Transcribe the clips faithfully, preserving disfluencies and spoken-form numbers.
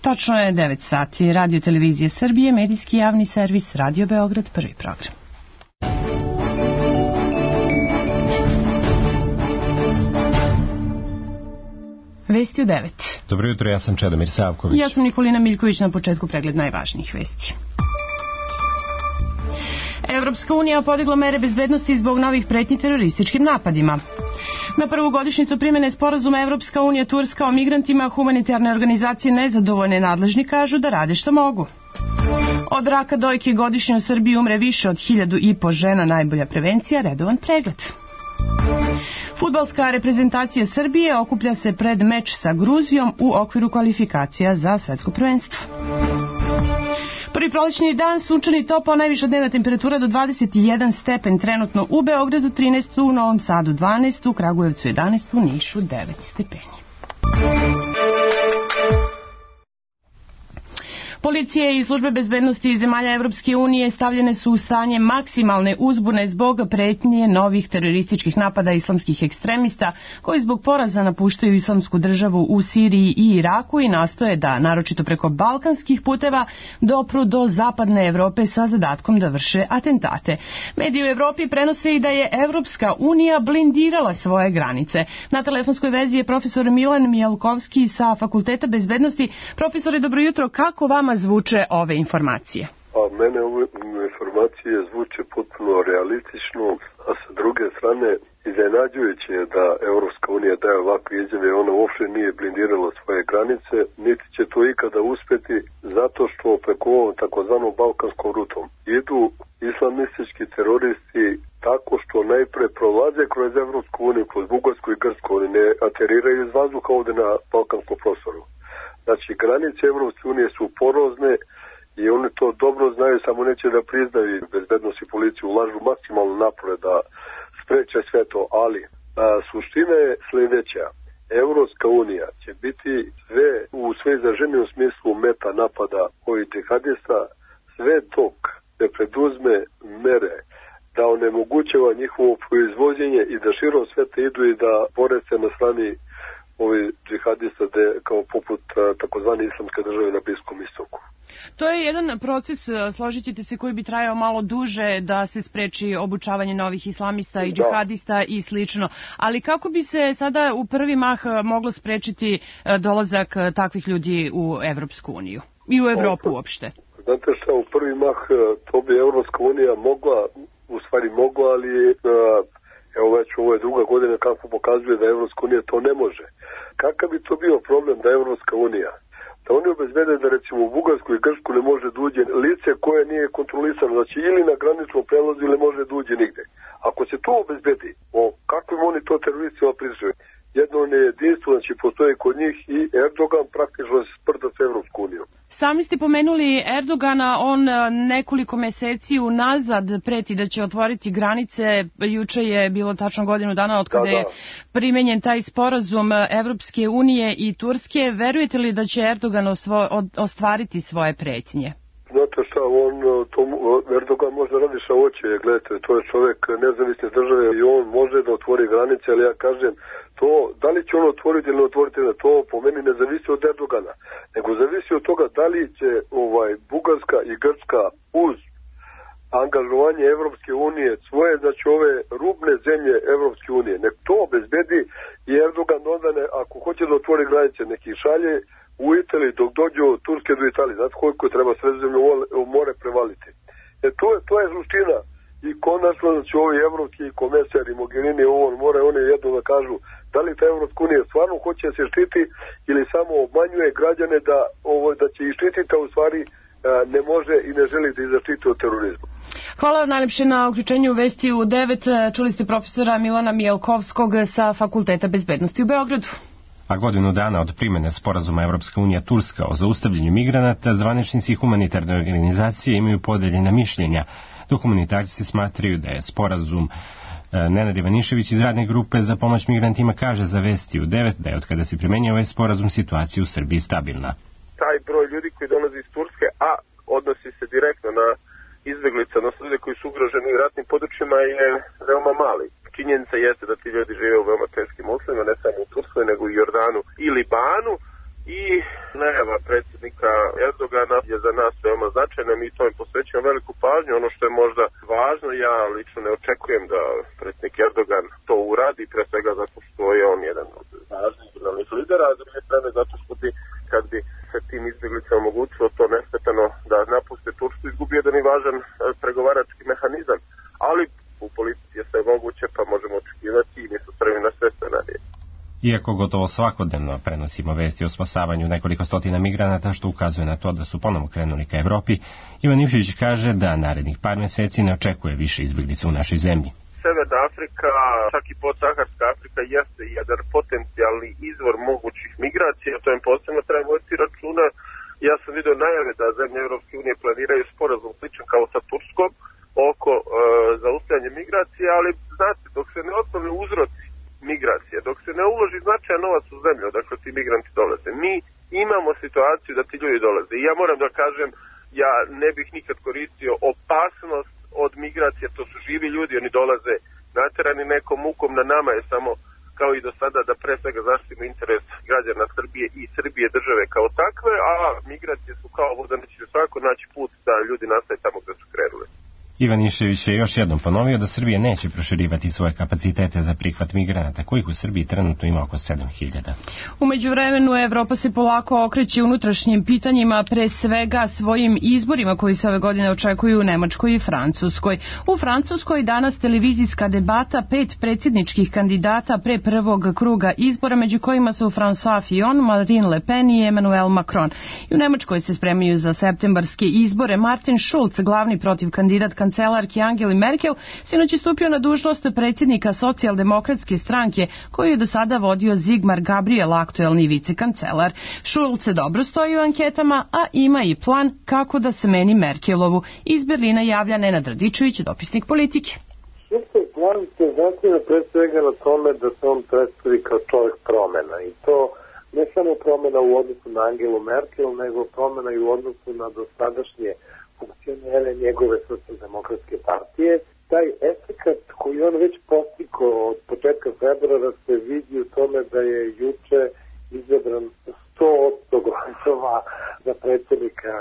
Tačno je devet sati. Radio Televizije Srbije, medijski javni servis, Radio Beograd, prvi program. Vesti u devet. Dobro jutro, ja sam Čedomir Savković. Ja sam Nikolina Miljković, na početku pregled najvažnijih vesti. Evropska unija podigla mere bezbednosti zbog novih pretnji terorističkim napadima. Na prvu godišnjicu primjene sporazuma Evropska unija Turska o migrantima humanitarne organizacije nezadovoljne nadležni kažu da rade što mogu. Od raka dojke godišnje u Srbiji umre više od hiljadu i po žena, najbolja prevencija, redovan pregled. Fudbalska reprezentacija Srbije okuplja se pred meč sa Gruzijom u okviru kvalifikacija za svetsko prvenstvo. Prvi prolećni dan, sunčan i topao, najviša dnevna temperatura do dvadeset jedan stepen, trenutno u Beogradu trinaest, u Novom Sadu dvanaest, u Kragujevcu jedanaest, u Nišu devet stepeni. Policije i službe bezbednosti zemalja Evropske unije stavljene su u stanje maksimalne uzbune zbog pretnje novih terorističkih napada islamskih ekstremista koji zbog poraza napuštaju islamsku državu u Siriji i Iraku i nastoje da, naročito preko balkanskih puteva, dopru do zapadne Evrope sa zadatkom da vrše atentate. Mediji u Evropi prenose i da je Evropska unija blindirala svoje granice. Na telefonskoj vezi je profesor Milan Mijalkovski sa Fakulteta bezbednosti. Profesore, dobro jutro, kako vama zvuče ove informacije? A mene ove informacije zvuče potpuno realistično, a sa druge strane iznenađujuće je da Evropska unija daje ovakve izjave. Ona uopšte nije blindirala svoje granice, niti će to ikada uspeti, zato što preko ovom takozvanom balkanskom rutom idu islamistički teroristi tako što najpre prolaze kroz Evropsku uniju, kroz Bugarsku i Grčku, oni ne ateriraju iz vazduha ovde na balkanskom prostoru. Znači, granice Evropske unije su porozne i oni to dobro znaju, samo neće da priznaju. Bezbednost i policiju ulažu maksimalno napore da spreče sve to, ali a, suština je sljedeća. Evropska unija će biti sve u sve izraženijem smislu meta napada ovih džihadista, sve dok ne preduzme mere da onemogućava njihovo proizvođenje i da širom sveta idu i da bore se na strani ovi džihadista de, kao poput takozvane islamske države na Bliskom istoku. To je jedan proces, složit ćete se, koji bi trajao malo duže da se spreči obučavanje novih islamista i džihadista da. i slično. Ali kako bi se sada u prvi mah moglo sprečiti dolazak takvih ljudi u Evropsku uniju i u Evropu uopšte? Znate šta, u prvi mah to bi Evropska unija mogla, u stvari mogla, ali evo već ovo je druga godina kako pokazuje da Evropska unija to ne može. Kakav bi to bio problem da Evropska unija, da oni obezbede da recimo u Bugarsku i Grčku ne može da uđe lice koje nije kontrolisano, znači ili na graničnom prelazu ili može da uđe nigde. Ako se to obezbedi, o kakvim oni to teroristima pričaju, jedno nejedinstvo, znači postoje kod njih i Erdogan praktično se sprda s Evropsku unijom. Sami ste pomenuli Erdogana, on nekoliko meseci unazad preti da će otvoriti granice. Juče je bilo tačno godinu dana od kada da, da. je primenjen taj sporazum Evropske unije i Turske. Verujete li da će Erdogan osvo, ostvariti svoje pretnje? Znate šta, on, to, Erdogan može da radi šta hoće, gledajte, to je čovjek nezavisne države i on može da otvori granice, ali ja kažem, to, da li će on otvoriti ili ne otvoriti, to po meni ne zavisi od Erdogana, nego zavisi od toga da li će ovaj, Bugarska i Grčka uz angažovanje Evropske unije, svoje, znači ove rubne zemlje Evropske unije, nek to obezbedi i Erdogan onda, ne, ako hoće da otvori granice, neki šalje u Italiji dok dođe od Turske do Italije, znate koliko treba Sredozemno more prevaliti. E to je, to je suština. I konačno, znači ovi evropski komesari, Mogherini, ovo more, oni jedno da kažu da li ta Evropska unija stvarno hoće se štiti ili samo obmanjuje građane da, ovo, da će ih štititi, a u stvari ne može i ne želi da ih zaštiti od terorizma. Hvala vam najlepše na uključenju u Vesti u devet. Čuli ste profesora Milana Mijalkovskog sa Fakulteta bezbednosti u Beogradu. A godinu dana od primene sporazuma Evropska unija Turska o zaustavljanju migranata, zvaničnici humanitarne organizacije imaju podeljena mišljenja, dok humanitarci smatraju da je sporazum. Nenad Ivanišević iz radne grupe za pomoć migrantima kaže za Vesti u devet da je od kada se primenjuje ovaj sporazum situacija u Srbiji stabilna. Taj broj ljudi koji dolazi iz Turske, a odnosi se direktno na izbeglice, odnosno ljudi koji su ugroženi u ratnim područjima, je veoma mali. Činjenica jeste da ti ljudi žive u veoma teškim uslovima, ne samo u Turskoj, nego i Jordanu i Libanu. I najava predsjednika Erdogana je za nas veoma značajna, mi to im posvećujemo veliku pažnju. Ono što je možda važno, ja lično ne očekujem da predsjednik Erdogan to uradi, pre svega zato što je on jedan od važnih državnih lidera, a s druge strane zato što bi, kad bi se tim izbjeglicama omogućilo to nesmetano da napuste Tursku, izgubio jedan i važan pregovarački mehanizam. Ali u politici je sve moguće, pa možemo očekivati i mi su spremni na sve scenarije. Iako gotovo svakodnevno prenosimo vesti o spasavanju nekoliko stotina migranata, što ukazuje na to da su ponovo krenuli ka Evropi, Ivan Ivšić kaže da narednih par meseci ne očekuje više izbjeglica u našoj zemlji. Severna Afrika, čak i podsaharska Afrika, jeste jedan potencijalni izvor mogućih migracija, to im posebno treba voditi računa. Ja sam vidio najave da zemlje Europske unije planiraju sporazum sličan kao sa Turskom oko e, zaustavljanja migracija, ali znate, dok se ne otklone uzroci migracije, dok se ne uloži značajan novac u zemlju, odakle ti migranti dolaze, mi imamo situaciju da ti ljudi dolaze. I ja moram da kažem, ja ne bih nikad koristio opasnost od migracije, to su živi ljudi, oni dolaze naterani nekom mukom, na nama je samo, kao i do sada, da pre svega zaštitimo interes građana Srbije i Srbije države kao takve, a migracije su kao voda, neće svako naći put da ljudi nastaju tamo gde su krenuli. Ivan Ivšić je još jednom ponovio da Srbija neće proširivati svoje kapacitete za prihvat migranata, kojih u Srbiji trenutno ima oko sedam hiljada. U međuvremenu Evropa se polako okreće unutrašnjim pitanjima, pre svega svojim izborima koji se ove godine očekuju u Nemačkoj i Francuskoj. U Francuskoj danas televizijska debata pet predsjedničkih kandidata pre prvog kruga izbora, među kojima su François Fillon, Marine Le Pen i Emmanuel Macron. I u Nemačkoj se spremaju za septembarske izbore. Martin Schulz, glavni protiv kandidat kancelarki Angeli Merkel, sinoć je stupio na dužnost predsjednika socijaldemokratske stranke, koju je do sada vodio Sigmar Gabriel, aktuelni vicekancelar. Schulz se dobro stoji u anketama, a ima i plan kako da smeni Merkelovu. Iz Berlina javlja Nenad Radičević, dopisnik Politike. Šulcov plan se zasniva pre svega na tome da se on predstavi kao čovjek promjena, i to ne samo promjena u odnosu na Angelu Merkel, nego promjena i u odnosu na dosadašnje funkcionere njegove socijaldemokratske partije. Taj efekat koji on već postigao od početka februara se vidi u tome da je juče izabran sto posto glasova za predsjednika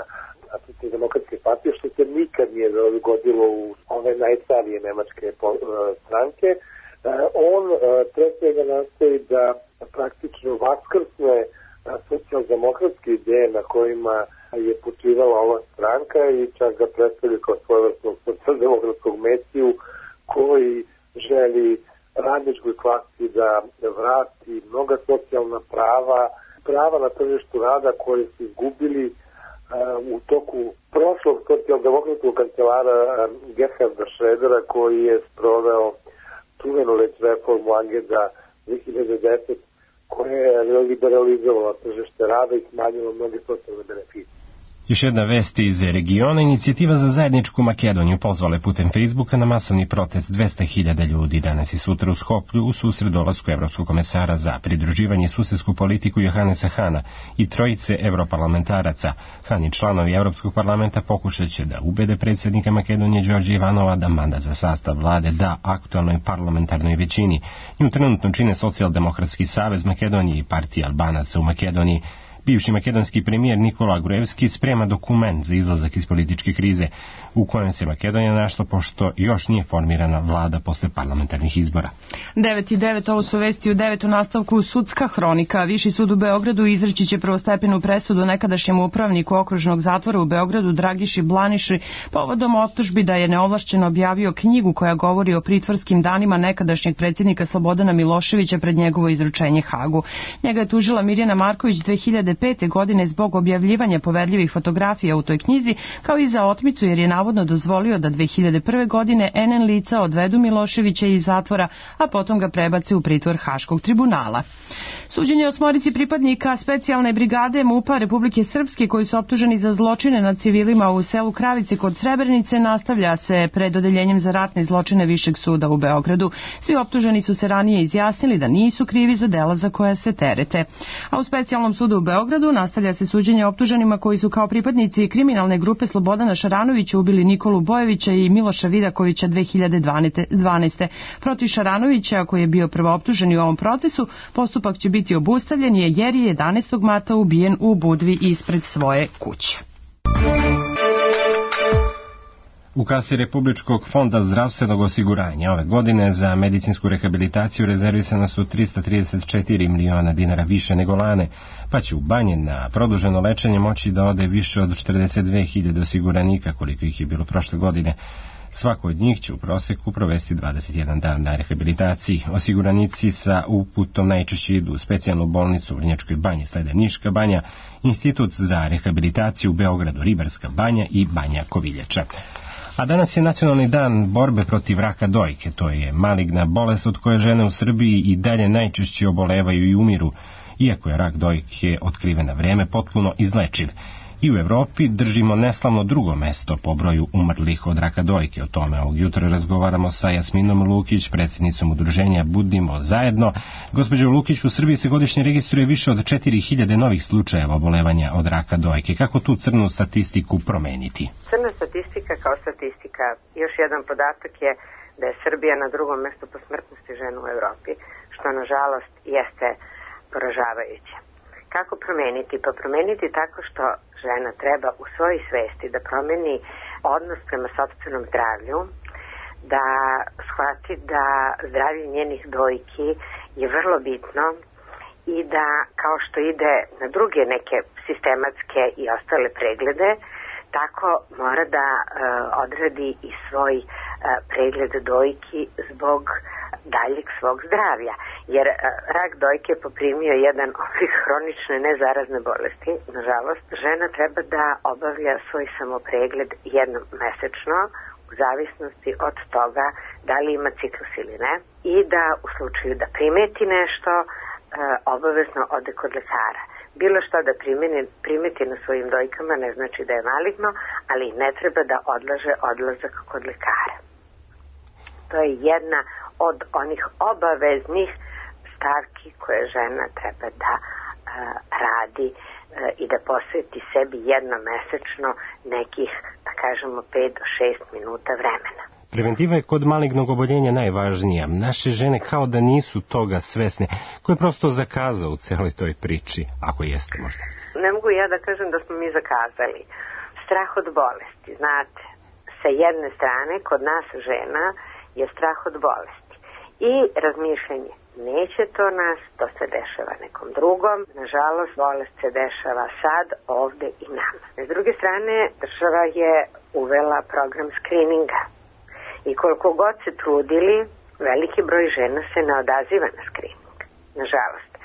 socijaldemokratske partije, što se nikad nije dogodilo u ove najstarije nemačke stranke. On pre svega nastoji da praktično vaskrsne socijaldemokratske ideje na kojima je počivala ova stranka i čak ga predstavlja kao svojevrsnog socijaldemokratskog mesiju koji želi radničkoj klasi da vrati mnoga socijalna prava, prava na tržištu rada koje su izgubili uh, u toku prošlog socijaldemokratskog kancelara uh, Gerharda Schrödera, koji je sproveo čuvenu već reformu Agenda dve hiljade desete, koja je liberalizovala tržište rada i smanjila mnoge socijalne beneficije. Još jedna vest iz regiona. Inicijativa za zajedničku Makedoniju pozvala je putem Facebooka na masovni protest dvesta hiljada ljudi danas i sutra u Skoplju u susret dolasku Evropskog komesara za pridruživanje i susedsku politiku Johanesa Hana i trojice europarlamentaraca. Han i članovi Evropskog parlamenta pokušat će da ubede predsjednika Makedonije Đorđa Ivanova da mandat za sastav vlade da aktualnoj parlamentarnoj većini. Nju trenutno čine Socijaldemokratski savez Makedonije i partija Albanaca u Makedoniji. Bivši makedonski premijer Nikola Gruevski sprema dokument za izlazak iz političke krize u kojem se Makedonija našla pošto još nije formirana vlada posle parlamentarnih izbora. devet i devet, ovo su vesti u devet u nastavku sudska hronika. Viši sud u Beogradu izreći će prvostepenu presudu nekadašnjem upravniku okružnog zatvora u Beogradu Dragiši Blaniši povodom optužbi da je neovlašćeno objavio knjigu koja govori o pritvorskim danima nekadašnjeg predsjednika Slobodana Miloševića pred njegovo izručenje Hagu. Njega je tužila Mirjana Marković dve hiljade pete. godine zbog objavljivanja poverljivih fotografija u toj knjizi, kao i za otmicu jer je navodno dozvolio da dve hiljade prve. godine en en lica odvedu Miloševića iz zatvora, a potom ga prebace u pritvor Haškog tribunala. Suđenje osmorici pripadnika specijalne brigade MUP-a Republike Srpske koji su optuženi za zločine nad civilima u selu Kravice kod Srebrenice nastavlja se pred odeljenjem za ratne zločine Višeg suda u Beogradu. Svi optuženi su se ranije izjasnili da nisu krivi za dela za koja se terete. A u specijalnom sudu u Beogradu nastavlja se suđenje optuženima koji su kao pripadnici kriminalne grupe Slobodana Šaranovića ubili Nikolu Bojevića i Miloša Vidakovića dve hiljade dvanaeste. Protiv Šaranovića, koji je bio prvooptuženi u ovom procesu, postupak će biti biti obustavljen je jer je jedanaestog marta ubijen u Budvi ispred svoje kuće. U kasi Republičkog fonda zdravstvenog osiguranja ove godine za medicinsku rehabilitaciju rezervisana su trista trideset četiri miliona dinara više nego lane, pa će u Banje na produženo lečenje moći da ode više od četrdeset dve hiljade osiguranika, koliko ih je bilo prošle godine. Svako od njih će u proseku provesti dvadeset jedan dan na rehabilitaciji. Osiguranici sa uputom najčešće idu u specijalnu bolnicu u Vrnjačkoj Banji, slede Niška Banja, Institut za rehabilitaciju u Beogradu, Ribarska Banja i Banja Koviljača. A danas je nacionalni dan borbe protiv raka dojke. To je maligna bolest od koje žene u Srbiji i dalje najčešće obolevaju i umiru, iako je rak dojke otkriven na vreme potpuno izlečiv. I u Evropi držimo neslavno drugo mesto po broju umrlih od raka dojke. O tome ovog jutra razgovaramo sa Jasminom Lukić, predsjednicom udruženja Budimo zajedno. Gospođo Lukić, u Srbiji se godišnje registruje više od četiri hiljade novih slučajeva obolevanja od raka dojke. Kako tu crnu statistiku promeniti? Crna statistika kao statistika. Još jedan podatak je da je Srbija na drugom mestu po smrtnosti žena u Evropi, što nažalost jeste poražavajuće. Kako promeniti? Pa promeniti tako što žena treba u svojoj svesti da promeni odnos prema sopstvenom zdravlju, da shvati da zdravlje njenih dojki je vrlo bitno i da kao što ide na druge neke sistematske i ostale preglede, tako mora da uh, odradi i svoj uh, pregled dojki zbog daljeg svog zdravlja, jer uh, rak dojke je poprimio jedan oblik hronične nezarazne bolesti. Nažalost, žena treba da obavlja svoj samopregled jednom mesečno, u zavisnosti od toga da li ima ciklus ili ne, i da u slučaju da primeti nešto, uh, obavezno ode kod lekara. Bilo što da primeni, primeti na svojim dojkama ne znači da je maligno, ali ne treba da odlaže odlazak kod lekara. To je jedna od onih obaveznih stavki koje žena treba da uh, radi uh, i da posveti sebi jednomesečno nekih, da kažemo, pet do šest minuta vremena. Preventiva je kod malignog oboljenja najvažnija. Naše žene kao da nisu toga svesne. Ko je prosto zakazao u celoj toj priči, ako jeste možda? Ne mogu ja da kažem da smo mi zakazali. Strah od bolesti, znate, sa jedne strane kod nas žena je strah od bolesti i razmišljanje, neće to nas, to se dešava nekom drugom, nažalost bolest se dešava sad, ovde i nama. S druge strane, država je uvela program skrininga i koliko god se trudili, veliki broj žena se ne odaziva na skrining, nažalost. E,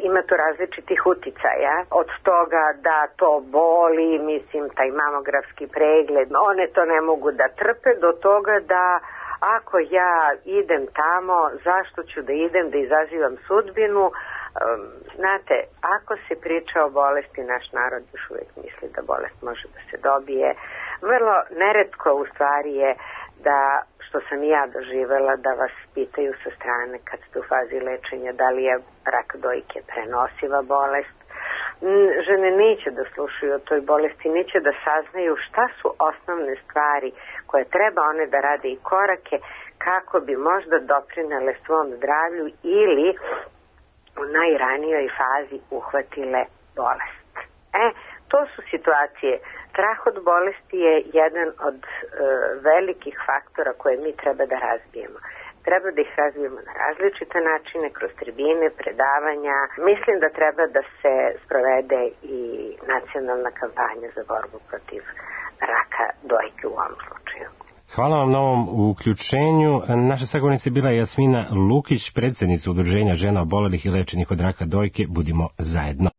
ima tu različitih uticaja, od toga da to boli, mislim, taj mamografski pregled, one to ne mogu da trpe, do toga da ako ja idem tamo, zašto ću da idem, da izazivam sudbinu. Um, znate, ako se priča o bolesti, naš narod još uvijek misli da bolest može da se dobije. Vrlo neretko u stvari je da, što sam i ja doživela, da vas pitaju sa strane kad ste u fazi lečenja da li je rak dojke prenosiva bolest. Žene neće da slušaju o toj bolesti, neće da saznaju šta su osnovne stvari koje treba one da rade i korake kako bi možda doprinele svom zdravlju ili u najranijoj fazi uhvatile bolest. E, to su situacije. Strah od bolesti je jedan od e, velikih faktora koje mi treba da razbijemo. Treba da ih razvijemo na različite načine, kroz tribine, predavanja. Mislim da treba da se sprovede i nacionalna kampanja za borbu protiv raka dojke u ovom slučaju. Hvala vam na ovom uključenju. Naša sagovornica je bila Jasmina Lukić, predsjednica Udruženja žena obolelih i lečenih od raka dojke. Budimo zajedno.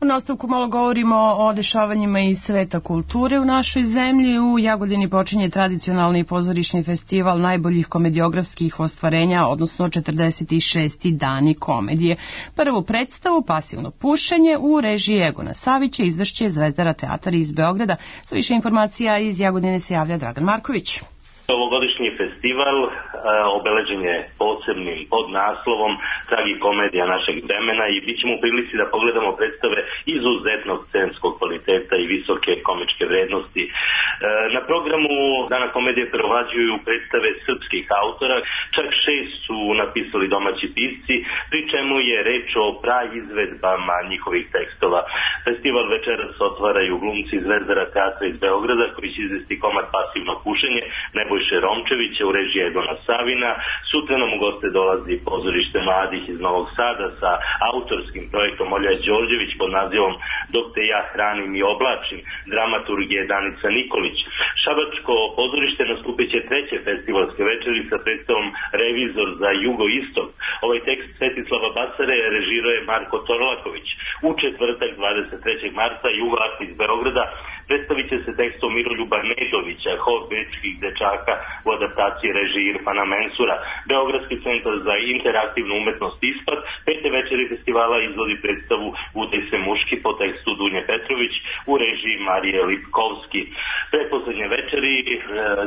U nastavku malo govorimo o dešavanjima iz sveta kulture u našoj zemlji. U Jagodini počinje tradicionalni pozorišni festival najboljih komediografskih ostvarenja, odnosno četrdeset šesti dani komedije. Prvu predstavu, Pasivno pušenje, u režiji Egona Savića izvešće Zvezdara teatar iz Beograda. Za više informacija iz Jagodine se javlja Dragan Marković. Ovogodišnji festival e, obeležen je posebnim podnaslovom Tragikomedija našeg vremena i bit ćemo u prilici da pogledamo predstave izuzetnog scenskog kvaliteta i visoke komičke vrednosti. E, na programu Dana komedije preovlađuju predstave srpskih autora, čak šest su napisali domaći pisci, pri čemu je reč o praizvedbama njihovih tekstova. Festival večeras otvaraju glumci Zvezdara teatra iz Beograda koji će izvesti komad Pasivno pušenje Nebojše Romčevića u režiji Edona Savina. Sutra nam u goste dolazi pozorište mladih iz Novog Sada sa autorskim projektom Olja Đorđević pod nazivom Dok te ja hranim i oblačim, dramaturg je Danica Nikolić. Šabačko pozorište nastupit će treće festivalske večeri sa predstavom Revizor za jugoistok. Ovaj tekst Svetislava Basare režirao je Marko Torlaković. U četvrtak dvadeset trećeg marta Jugoakt iz Beograda predstavit će se tekstom Miroljuba Nedovića, Hor bečkih dečaka u adaptaciji režiji Irfana Mensura. Beogradski centar za interaktivnu umetnost ISPAD pete večeri festivala izvodi predstavu Udaj se muški po tekstu Dunje Petrović u režiji Marije Lipkovski. Pretposlednje večeri e,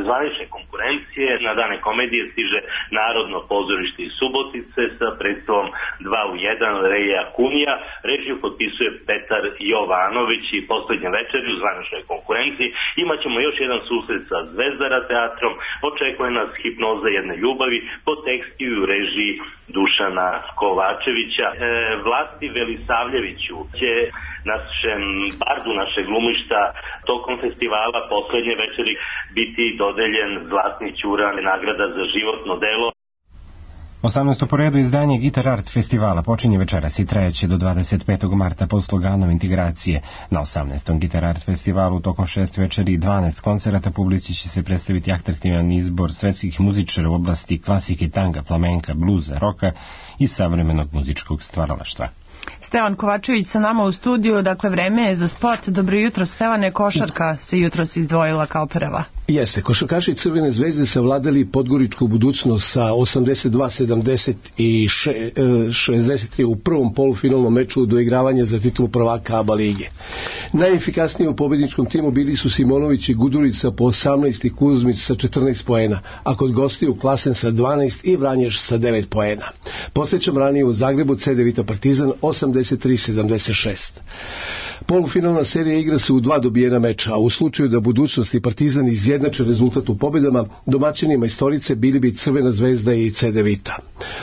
zvanične konkurencije na Dane komedije stiže Narodno pozorište iz Subotice sa predstavom dva u jedan Reja Kunija. Režiju potpisuje Petar Jovanović i poslednje večeri u zvaničnoj konkurenciji imaćemo još jedan susret sa Zvezdara teatrom. Očekuje nas Hipnoza jedne ljubavi po tekstu i u režiji Dušana Kovačevića. E, Vlasti Velisavljeviću će našem bardu naše glumišta tokom festivala poslednje večeri biti dodeljen Zlatni ćuran, nagrada za životno delo. osamnaesto po redu izdanje Gitar Art festivala počinje večeras i trajeće do dvadeset petog marta pod sloganom integracije. Na osamnaestom Gitar Art festivalu tokom šest večeri i dvanaest koncerata publici će se predstaviti atraktivan izbor svetskih muzičara u oblasti klasike, tanga, flamenka, bluza, roka i savremenog muzičkog stvaralaštva. Stevan Kovačević sa nama u studiju, dakle vreme je za sport. Dobro jutro Stevane, košarka se jutros izdvojila kao prva. Jeste, košarkaši Crvene zvezde savladali podgoričku budućnost sa osamdeset dva sedamdeset i šezdeset tri u prvom polufinalnom meču do igravanja za titulu prvaka A B A lige. Najefikasniji u pobedničkom timu bili su Simonović i Gudurica po osamnaest i Kuzmić sa četrnaest poena, a kod gostiju Klasen sa dvanaest i Vranješ sa devet poena. Podsjećam ranije u Zagrebu C D Vita Partizan osamdeset tri sedamdeset šest. Polufinalna serija igra se u dva dobijena meča, a u slučaju da budućnost i Partizan izjednače rezultat u pobjedama, domaćinima istorice bili bi Crvena zvezda i C D Vita.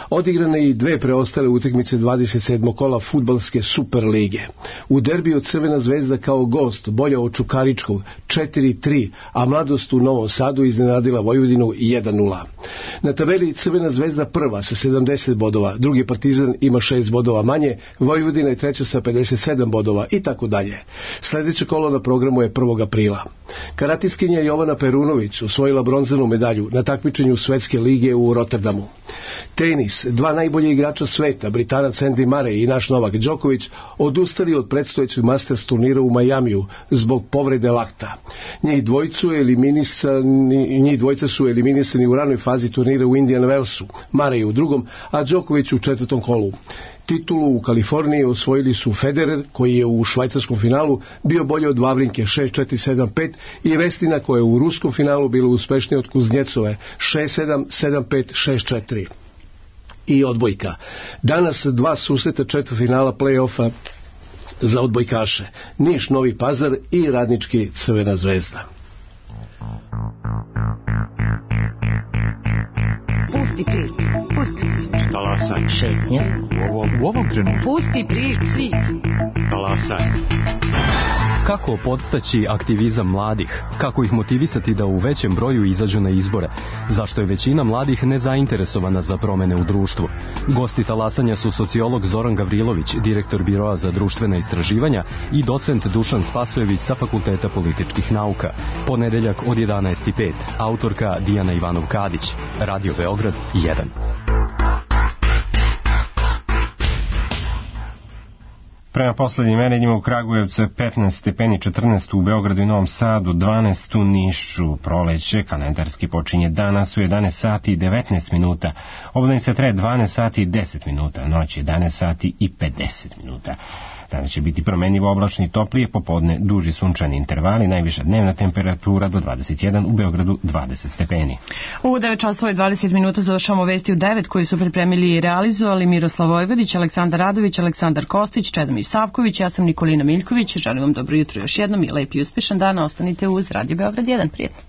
Odigrane i dve preostale utakmice dvadeset sedmog kola fudbalske Super lige. U derbiju Crvena zvezda kao gost bolja od Čukaričkog četiri tri, a Mladost u Novom Sadu iznenadila Vojvodinu jedan nula. Na tabeli Crvena zvezda prva sa sedamdeset bodova, drugi Partizan ima šest bodova manje, Vojvodina je treća sa pedeset sedam bodova i tako dalje. Sljedeće kolo na programu je prvog aprila. Karatiskinja Jovana Perunović osvojila bronzanu medalju na takmičenju Svetske lige u Rotterdamu. Tenis, dva najbolje igrača sveta, Britanac Andy Murray i naš Novak Đoković, odustali od predstojećeg Masters turnira u Majamiju zbog povrede lakta. Njih dvojicu eliminisani, njih dvojica su eliminisani u ranoj fazi turnira u Indian Wellsu, Murray u drugom, a Đoković u četvrtom kolu. Titulu u Kaliforniji osvojili su Federer, koji je u švajcarskom finalu bio bolje od Vavrinke šest četiri sedam pet i Vestina, koja je u ruskom finalu bila uspešnija od Kuznjecove šest sedam sedam pet šest četiri. I odbojka. Danas dva susreta četvrtfinala play-offa za odbojkaše. Niš Novi Pazar i Radnički Crvena zvezda. Pusti priču, pusti priču. Talasaj. Šetnja. U ovom, u ovom trenutku. Pusti priču. Talasaj. Kako podstaći aktivizam mladih? Kako ih motivisati da u većem broju izađu na izbore? Zašto je većina mladih nezainteresovana za promene u društvu? Gosti talasanja su sociolog Zoran Gavrilović, direktor Biroa za društvena istraživanja, i docent Dušan Spasojević sa Fakulteta političkih nauka. Ponedeljak od jedanaest i pet. Autorka Dijana Ivanov-Kadić. Radio Beograd jedan. Prema poslednjim merenjima u Kragujevcu je petnaest stepeni, četrnaest u Beogradu i Novom Sadu, dvanaest u Nišu. Proleće kalendarski počinje danas u jedanaest sati i devetnaest minuta. Obdanice traje dvanaest sati i deset minuta, noć jedanaest sati i pedeset minuta. Danas će biti promenljivo oblačno i toplije, popodne duži sunčani intervali, najviša dnevna temperatura do dvadeset jedan, u Beogradu dvadeset stepeni. U devet časova i dvadeset minuta završamo vesti u devet koji su pripremili i realizovali Miroslav Vojvodić, Aleksandar Radović, Aleksandar Kostić, Čedomir Savković, ja sam Nikolina Miljković. Želim vam dobro jutro još jednom i lep i uspešan dan. Ostanite uz Radio Beograd jedan. Prijetno.